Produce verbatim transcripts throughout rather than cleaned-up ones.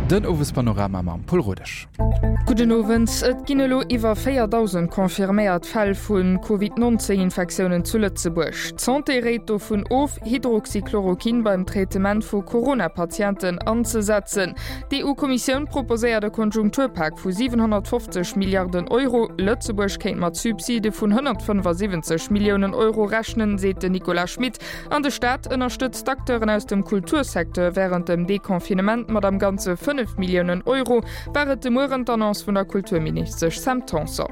Den Owespanorama mam Pol Rodesch. Gudden Owend. Et ginn elo iwwer véierdausend confirméiert Fäll vu Covid neunzéng Infektiounen zu Lëtzebuerg. D'Santé réit dovun of, Hydroxychloroquin beim Traitement vu Corona-Patienten anzesetzen. D'EU-Kommissioun proposéiert e Konjunkturpak vu siwenhonnertfofzeg Milliarden Euro. Lëtzebuerg kéint mat Subside vun honnertfënnefasiwwenzeg Milliounen Euro rechnen, seet den Nicolas Schmit. An de Staat ënnerstëtzt d'Acteuren aus dem Kultursecteur wärend dem Deconfinement mat am Ganze fënnef Milliounen Euro, war et de Mueren d'Annonce vun der Kulturministesch Sam Tanson.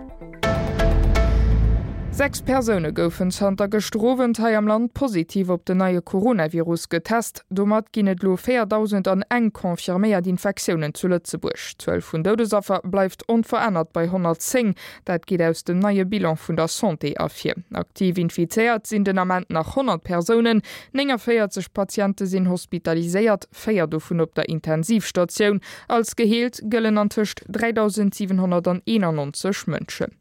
Sechs Persoune goufen zanter gëschter Owend hei am Land positiv op den neie Coronavirus getest. Domat ginn et elo véierdausend an eng confirméiert Infektiounen zu Lëtzebuerg. D'Zuel vun Doudesaffer bleift onverännert bei honnertzéng. Dat geet aus dem neie Bilan vun der Santé ervir. Aktiv infizéiert sinn den Ament nach honnert Persounen. Néngavéierzeg Patiente sinn hospitaliséiert, véier dovun op der Intensivstatioun. Als geheelt gëllen antëscht dräidausendsiwenhonnerteenannonzeg Mënschen.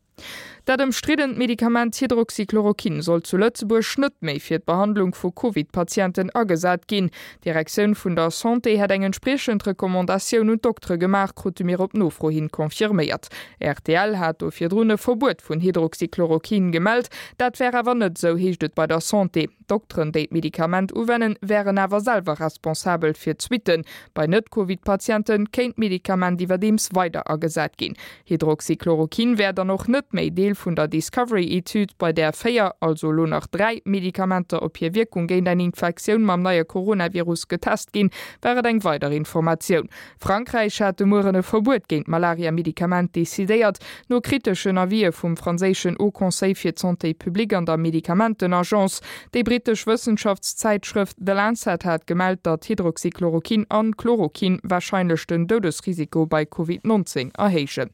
Dat ëmstriddent Medikament Hydroxychloroquin soll zu Lëtzebuerg net méi fir d'Behandlung vu Covid-Patienten agesat ginn. D'Direktioun vun der Santé hätt eng entspriechend Recommandatioun un d'Doktere gemaach, krute mir op Nofro hin confirméiert. Rtl hat do virdrun e Verbuet vun Hydroxychloroquin gemellt. Dat wär awer net esou, heescht et bei der Santé. D'Dokteren, déi d'Medikament uwennen, wären awer selwer responsabel fir d'Suitten. Bei Net-Covid-Patiente kéint d'Medikament iwwerdeems weider agesat ginn. Hydroxychloroquin wär dann och net méi Deel vun der Discovery-Etüd, bei där véier, also elo nach dräi, Medikamenter op hir Wierkung géint eng Infektioun mam neie Coronavirus getest ginn, war et eng weider Informatioun. Frankräich hat de Mueren e Verbuet géint d'Malaria-Medikament decidéiert, no kriteschen Avisë vum franséischen Haut Conseil fir d'Santé publique an der Medikamentenagence. Déi brittesch Wëssenschaftszäitschrëft The Lancet hat gemellt, datt Hydroxychloroquin an Chloroquin warscheinlech den Doudesrisiko bei Covid neunzéng erhéijen.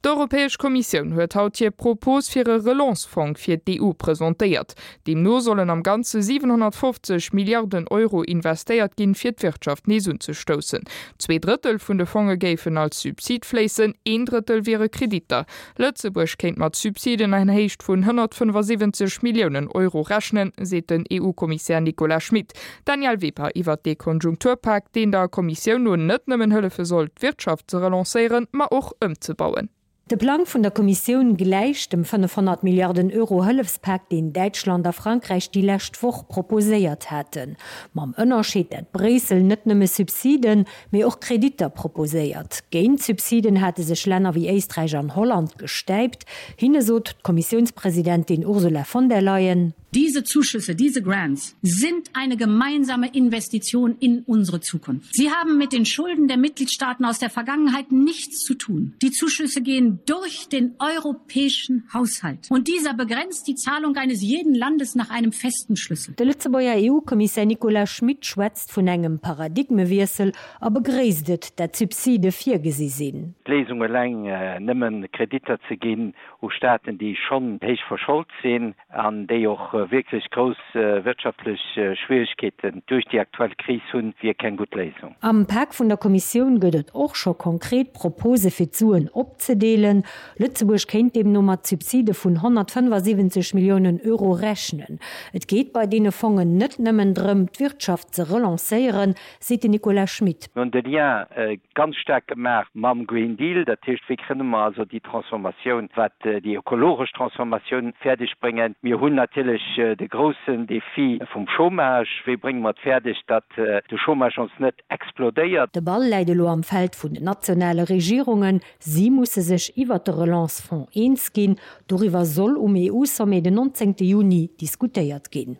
D'Europäesch Kommissioun huet haut hir Propos fir e Relance-Fong fir d'E U presentéiert. Deemno sollen am Ganze siwenhonnertfofzeg Milliarden Euro investéiert ginn, fir d'Wirtschaft nees unzestoussen. Zwee Drëttel vun de Fonge géifen als Subsid fléissen, een Drëttel wiere Kreditter. Lëtzebuerg kéint mat Subsiden an Héicht vun honnertfënnefasiwwenzeg Milliounen Euro rechnen, seet den E U-Kommissär Nicolas Schmit. Danièle Weber iwwer dee Konjunkturpak, deen der Kommissioun no net nëmmen hëllefe soll, d'Wirtschaft ze relancéieren, ma och ëmzebauen. De Plang vun der Kommissioun gläicht dem fënnefhonnert Milliarden Euro Hëllefspak, deen Däitschland a Frankräich déi lescht Woch proposéiert haten. Mam Ënnerscheed, dat Bréissel net nëmme Subsiden, mee och Kreditter proposéiert. Géint Subsiden hate sech Länner wéi Éisträich an Holland gestäipt. Hinne sot d'Kommissiounspresidentin Ursula von der Leyen: Diese Zuschüsse, diese Grants sind eine gemeinsame Investition in unsere Zukunft. Sie haben mit den Schulden der Mitgliedstaaten aus der Vergangenheit nichts zu tun. Die Zuschüsse gehen durch den europäischen Haushalt. Und dieser begrenzt die Zahlung eines jeden Landes nach einem festen Schlüssel. De Lëtzebuerger E U-Kommissär Nicolas Schmit schwätzt vun engem Paradigmewiessel a begréisst et, dat Subside virgesi sinn. D'Léisung eleng, äh, nëmmen Kreditter ze ginn u Staaten, déi schonn héich verschold sinn an déi och, äh, wierklech grouss, äh, wirtschaftlech, äh, Schwierigkeeten duerch déi aktuell Kris hunn, wier keng gutt Léisung. Am Pak vun der Kommissioun gëtt et och scho konkret Propose fir d'Suen opzedeelen. Lëtzebuerg kéint deemno mat Subside vun honnertfënnefasiwwenzeg Milliounen Euro rechnen. Et geet bei deene Fongen net nëmmen drëm, d'Wirtschaft ze relancéieren, seet de Nicolas Schmit. Mir hunn de Lien, äh, ganz staark gemaach mam Green Deal, dat heescht, wéi kënne mer also déi Transformatioun, wat, äh, déi ökologesch Transformatioun fäerdeg bréngen. Mir hunn natierlech, äh, de groussen Defi vum Chômage. Wéi brénge mer et fäerdeg, datt, äh, de Chômage ons net explodéiert? De Ball läit elo am Feld vun den nationale Regierungen. Si musse sech iwwer de Relance-Fonds eens ginn. Doriwwer soll um E U-Sommet den neunzehnten Juni diskutéiert ginn.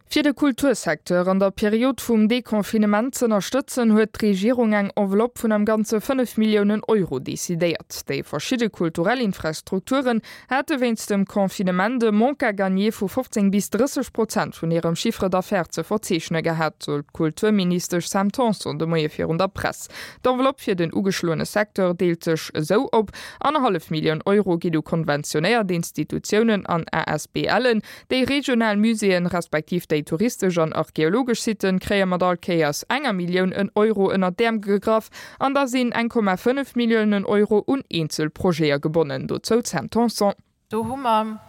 Fir de Kultursecteur an der Period vum Deconfinement ze ënnerstëtzen, huet d'Regierung eng Enveloppe vun am Ganze fënnef Milliounen Euro decidéiert. Déi verschidde kulturell Infrastrukturen hätte wéinst dem Confinement de Manque à gagner vu fofzéng bis drësseg Prozent vun hirem Chiffre d'affaires ze verzeechne gehat, sot d'Kulturministesch Sam Tanson de Moie virun der Press. D'Enveloppe fir den ugeschloene Secteur deelt sech esou op: annerhallef Millioun Euro gi du konventionéiert Institutiounen an A S B Len, déi regional Muséeën respektiv déi touristesch an archäologesch Sitten kréie mat all Kéiers enger Millioun en Euro ënner d'Äerm gegraff an da sinn eng Komma fënnef Milliounen Euro un Eenzelprojete gebonnen. Dozou Sam Tanson. Do hu mer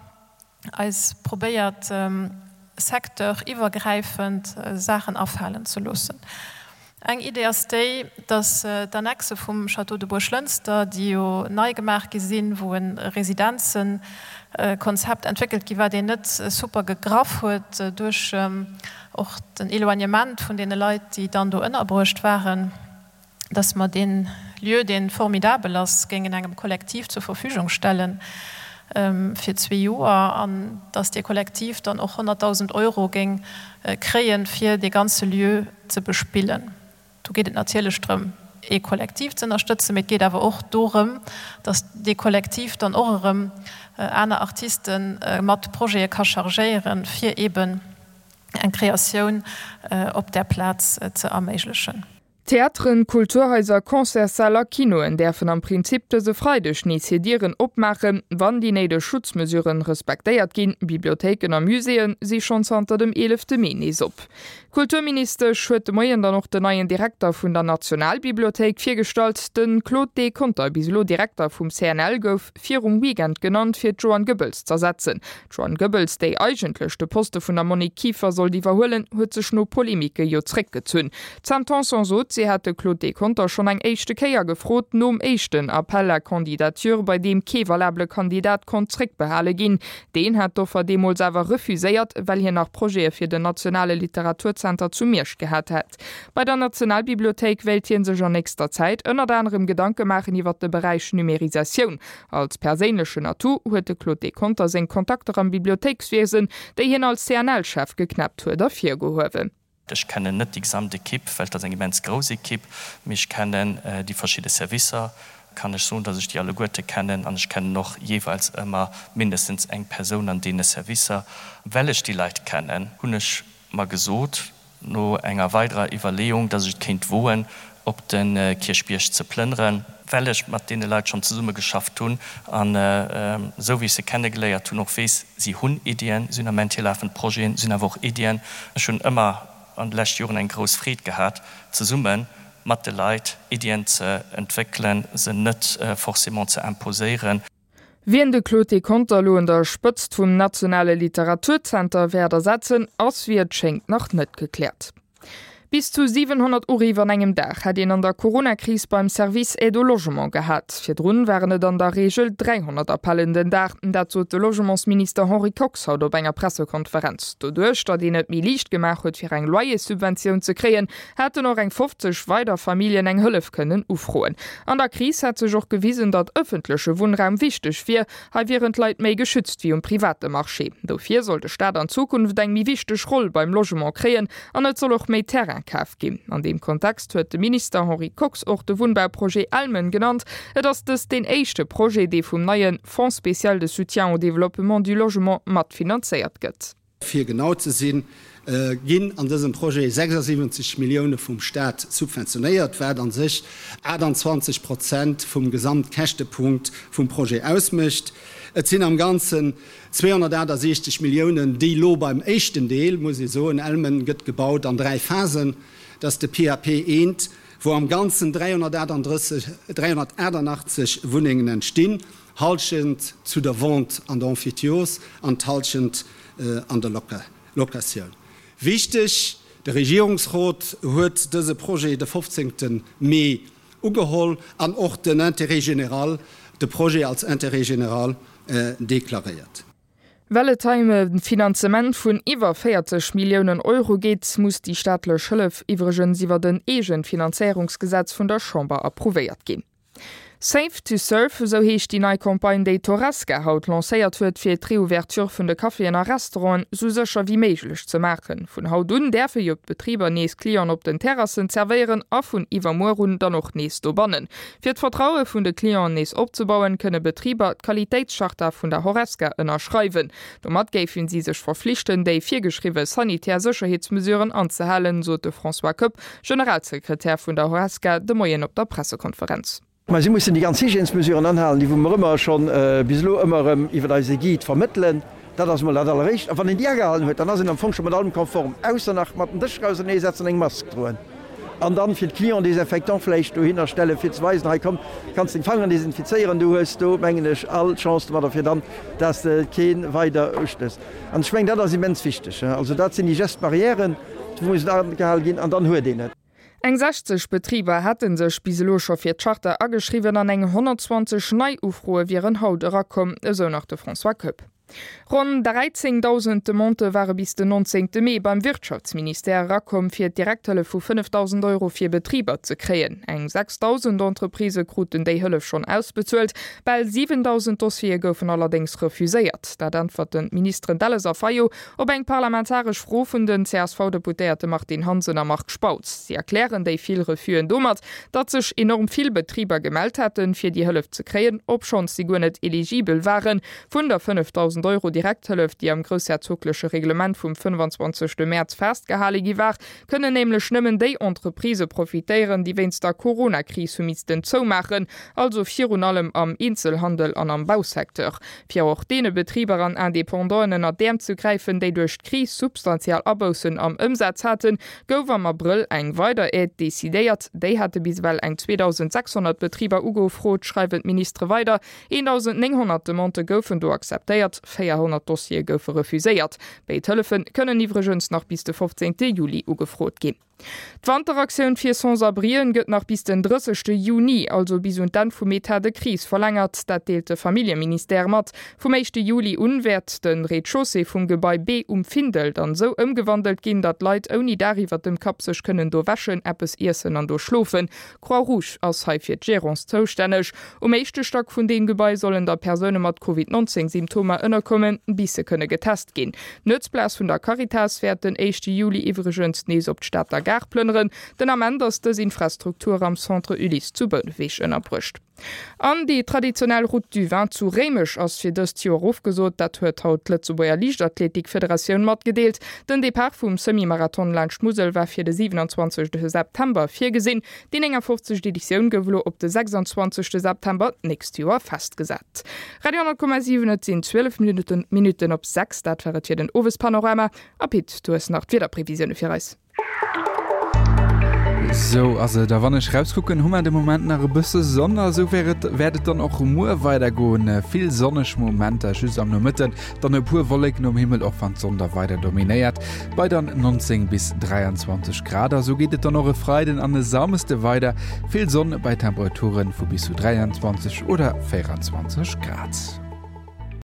eis probéiert, ähm, secteuriwwergräifend, äh, Saachen afalen ze loossen. Eng Idee ass déi, datt d'Annexe vum Château de Buerglënster, déi jo nei gemaach gi sinn, wou e Residenzenkonzept entwéckelt gi war, deen net super gegraff huet duerch och den Éloignement vun deene Leit, déi dann do ënnerbruecht waren, datt mer dee Lieu, dee formidabel ass, géingen engem Kollektiv zur Verfügung stelle fir zwee Joer an datt dee Kollektiv dann och honnertdausend Euro géing kréien, fir dee ganze Lieu ze bespillen. Do geet et natierlech drëm, ee Kollektiv ze ënnerstëtzen, mee et geet awer och dorëm, datt dee Kollektiv dann och erëm aner Artiste mat Projete ka chargéieren, fir eeben eng Kreatioun op där Plaz ze erméiglechen. Theateren, Kulturhaiser, Concertssäll a Kinoen däerfen am Prinzip dëse Freideg nees hir Dieren opmaachen, wann déi néideg Schutzmesuren respektéiert ginn. Bibliothéiken a Muséeë si schonn zanter dem eelefte Mee nees op. D'Kulturministesch huet de Moien dann och den neien Direkter vun der Nationalbibliothéik virgestallt. De Claude D. Conter, bis elo Direkter vum C N L, gouf virum Weekend genannt, fir d'Joanne Goebbels z'ersetzen. D'Joanne Goebbels, déi eigentlech de Poste vun der Monique Kieffer sollt iwwerhuelen, huet sech no Polemike jo zréckgezunn. D'Sam Tanson sot, si hätt de Claude D. Conter schonn eng éischte Kéier gefrot, nom éischten Appel à candidature, bei deem kee valabele Kandidat konnt zréckbehale ginn. Deen hat d'Offer deemools awer refuséiert, well hien nach Projete fir den Nationale Literaturzenter zu Miersch gehat hätt. Bei der Nationalbibliothéik wéilt hie sech an nächster Zäit ënnert anerem Gedanke maachen iwwer de Beräich Numerisatioun. Als perséinlechen Atout huet de Claude D. Conter seng Kontakter am Bibliothéikswiesen, déi hien als C N L-Chef geknäppt huet, ervirgehuewen. Ech kennen net déi gesamt Ekipp, well et ass eng immens grouss Ekipp, mee ech kennen déi verschidde Servicer, kann ech soen, datt ech déi alleguerte kennen an ech kennen och jeeweils ëmmer mindestens eng Persoun an deene Servicer. Well ech déi Leit kennen, hunn ech mer gesot, no enger weiderer Iwwerleeung, datt ech et kéint woen, op de Kierchbierg ze plënneren, well ech mat deene Leit schonn zesummegeschafft hunn an esou wéi ech se kennegeléiert hunn, och weess, si hunn Iddien, si hunn am Ament hir lafend Projeten, si hunn awer och Iddien. Ech hunn ëmmer an de leschte Joren eng grouss Freed gehat, zesumme mat de Leit Iddien ze entwéckelen, se net forcément ze imposéieren. Wien de Claude D. Conter elo un der Spëtzt vum Nationale Literaturzenter wäert ersetzen, ass wéi et schéngt nach net gekläert. Bis zu siwenhonnert Uriff an engem Dag hätt een an der Corona-Kris beim Service Aide au Logement gehat. Virdrun waren et an der Reegel dräihonnert Appellen den Dag. Dat sot de Logementsminister Henri Kox haut op enger Pressekonferenz. Doduerch, datt een et méi liicht gemaach huet fir eng Loyerssubventioun ze kréien, hätten och eng fofzeg weider Familljen eng Hëllef kënnen ufroen. An der Kris hätt sech och gewisen, datt ëffentleche Wunnraum wichteg wier. Hei wieren d'Leit méi geschützt wéi um private Marché. Dofir soll de Staat an Zukunft eng méi wichteg Roll beim Logement kréien an et soll och méi Terrain kaf ginn. An deem Kontext huet de Minister Henri Kox och de Wunnbauprojet Elmen genannt. Et ass dëst deen éischte Projet, dee vum neie Fonds spécial de soutien au développement du logement matfinanzéiert gëtt. Fir genau ze sinn, ginn an dësem Projet sechsundsiebzig Millioune vum Staat subventionéiert, wat an sech achtundzwanzig Prozent vum Gesamtkäschtepunkt vum Projet ausmécht. Et sinn am Ganzen zweihundertachtundsechzig Milliounen, déi lo beim éischten Deel, muss ich soen, Elmen gëtt gebaut an drei Phasen, dass de P A P eent, wo am Ganzen dreihundertachtundachtzig Wunnengen entstinn, halschent zu der Vente an der Emphytiose an halschent, äh, an der Loca-, Locatioun. Wichtig, de Regierungsrat huet dëse Projet de fofzehnten Mee ugeholl an och den Intérêt général, de Projet als Intérêt général, äh, deklaréiert. Well et hei ëm e Finanzement vun iwwer véierzeg Milliounen Euro geet, muss déi staatlech Hëllef iwwregens iwwer den Eegenfinanzéierungsgesetz vun der Chamber approuvéiert ginn. Safe to Serve, esou heescht déi nei Campagne, déi d'Horesca haut lancéiert huet, fir d'Reouverture vun de Caféen a Restauranten sou sécher wéi méiglech ze maachen. Vun haut un däerfe jo d'Betriber nees Clienten op den Terrassen zerwéieren a vun iwwermuer un dann och nees dobannen. Fir d'Vertraue vun de Clienten nees opzebauen, kënne Betriber d'Qualitéitscharta vun der Horesca ënnerschreiwen. Domat géifen si sech verflichten, déi virgeschriwwe sanitär Sécherheetsmesuren anzehalen, sot de François Koepp, Generalsekretär vun der Horesca, de Moien op der Pressekonferenz. Ma si mussen déi ganz Hygiènesmesuren anhalen, déi wou mer ëmmer schonn, äh, bis elo ëmmer erëm iwwer eise Guide vermëttelen. Dat ass mol dat alleréischt. A wann een déi agehalen huet, dann ass een am Fong scho mat allem konform, ausser nach mat dem Dësch rauserneesetzen an eng Mask droen. An dann fir d'Client Desinfectant vläicht dohinner stellen, fir ze weisen, hei komm, kannst den Fanger desinfizéieren, du hues do, mengen ech, all Chance domadder fir dann, dass de keen weider ustéchs. An ech mengen, dat ass immens wichteg, he. Also dat sinn déi Gestbarrièren, déi mussen agehalen ginn, an dann huet een et. Eng sechzeg Betriber hätte sech bis elo scho fir d'Charta ageschriwwen an eng honnertzwanzeg nei Ufroe wieren haut erakomm, esou nach de François Koepp. Ronn dräizéngdausend Demandë ware bis den nonzéngte Mee beim Wirtschaftsministère erakomm, fir d'Direkthëllef vu fënnefdausend Euro fir Betriber ze kréien. Eng sechsdausend Entreprisë kruten déi Hëllef schonn ausbezuelt, bal siwendausend Dossiere goufen allerdéngs refuséiert. Dat äntwerten d'Ministeren Delles a Fayot op eng parlamentaresch Fro vun den C S V-Deputéierte Martine Hansen a Marc Spautz. Si erklären déi vill Refusen domat, datt sech enorm vill Betriber gemellt hätten, fir déi Hëllef ze kréien, obschonns si guer net eligibel waren. Vun der fënnefdausend Euro Direkthëllef, déi am groussherzogleche Reglement vum fënnefanzwanzegste Mäerz festgehale gi war, kënnen nämlech nëmmen déi Entreprisë profitéieren, déi wéinst der Corona-Kris hu missten zoumaachen, also virun allem am Eenzelhandel an am Bausecteur. Fir och deene Betriber an Independanten ënner d'Äerm ze gräifen, déi duerch d'Kris substantiell Aboussen am Ëmsaz haten, gouf am Abrëll eng weider Aide decidéiert. Déi hate bis ewell eng zweedausend sechshonnert Betriber ugefrot, schreiwen d'Ministere weider. eendausend nénghonnert Demandë goufen do akzeptéiert, véierhonnert Dossiere goufe refuséiert. Béid Hëllefe kënnen iwwregens nach bis de fofzéngte Juli ugefrot ginn. D'Wanteraktioun fir Sans-abrien gëtt nach bis den drëssegste Juni, also bis un d'Enn vum Etat de crise verlängert, dat deelt de Familljeministère mat. Vum éischte Juli un wäert de Rez-de-chaussée vum Gebai B um Findel dann esou ëmgewandelt ginn, datt Leit ouni Daach iwwer dem Kapp sech kënnen do wäschen, eppes iessen an do schlofen. D'Croix-Rouge ass hei fir d'Gérance zoustänneg. Um éischte Stack vun deem Gebai sollen da Persoune mat Covid nonzéng Symptomer ënnerkommen, bis se kënne getest ginn. D'Nuetsplaz vun der Caritas wäert den éischte Juli iwwregens nees op d'Stater Gare plënneren. Den Ament ass dës Infrastruktur am Centre Ulysse zu Bouneweg ënnerbruecht. An déi traditionell Route du Vin zu Réimech ass fir dëst Joer ofgesot. Dat huet haut d'Lëtzebuerger Liichtathletikfederatioun matgedeelt. Den Depart vum Semi-Marathon laanscht d'Musel war fir de siwenanzwanzegste September virgesinn. Déi néngafofzegst Editioun gouf elo op de sechsanzwanzegste September d'nächst Joer festgesat. Radio honnert Komma siwen, Et sinn zwielef Minutten op sechs. Dat war et fir den Owespanorama. A Pit, du hues nach d'Wiederprevisioune fir eis. Sou ass et, a wann ech rauskucken, hu mer de Moment nach e bësse Sonn a sou wäert et wäert et dann och muer weidergoen. Vill sonneg Momenter just am Nomëtten, dann e puer Wolleken um Himmel, och wann d'Sonn da weider dominéiert, bei dann neunzéng bis dräianzwanzeg Grad. A sou geet et dann och e Freiden an e Samesde weider, vill Sonn bei Temperature vu bis zu dräianzwanzeg oder véieranzwanzeg Grad.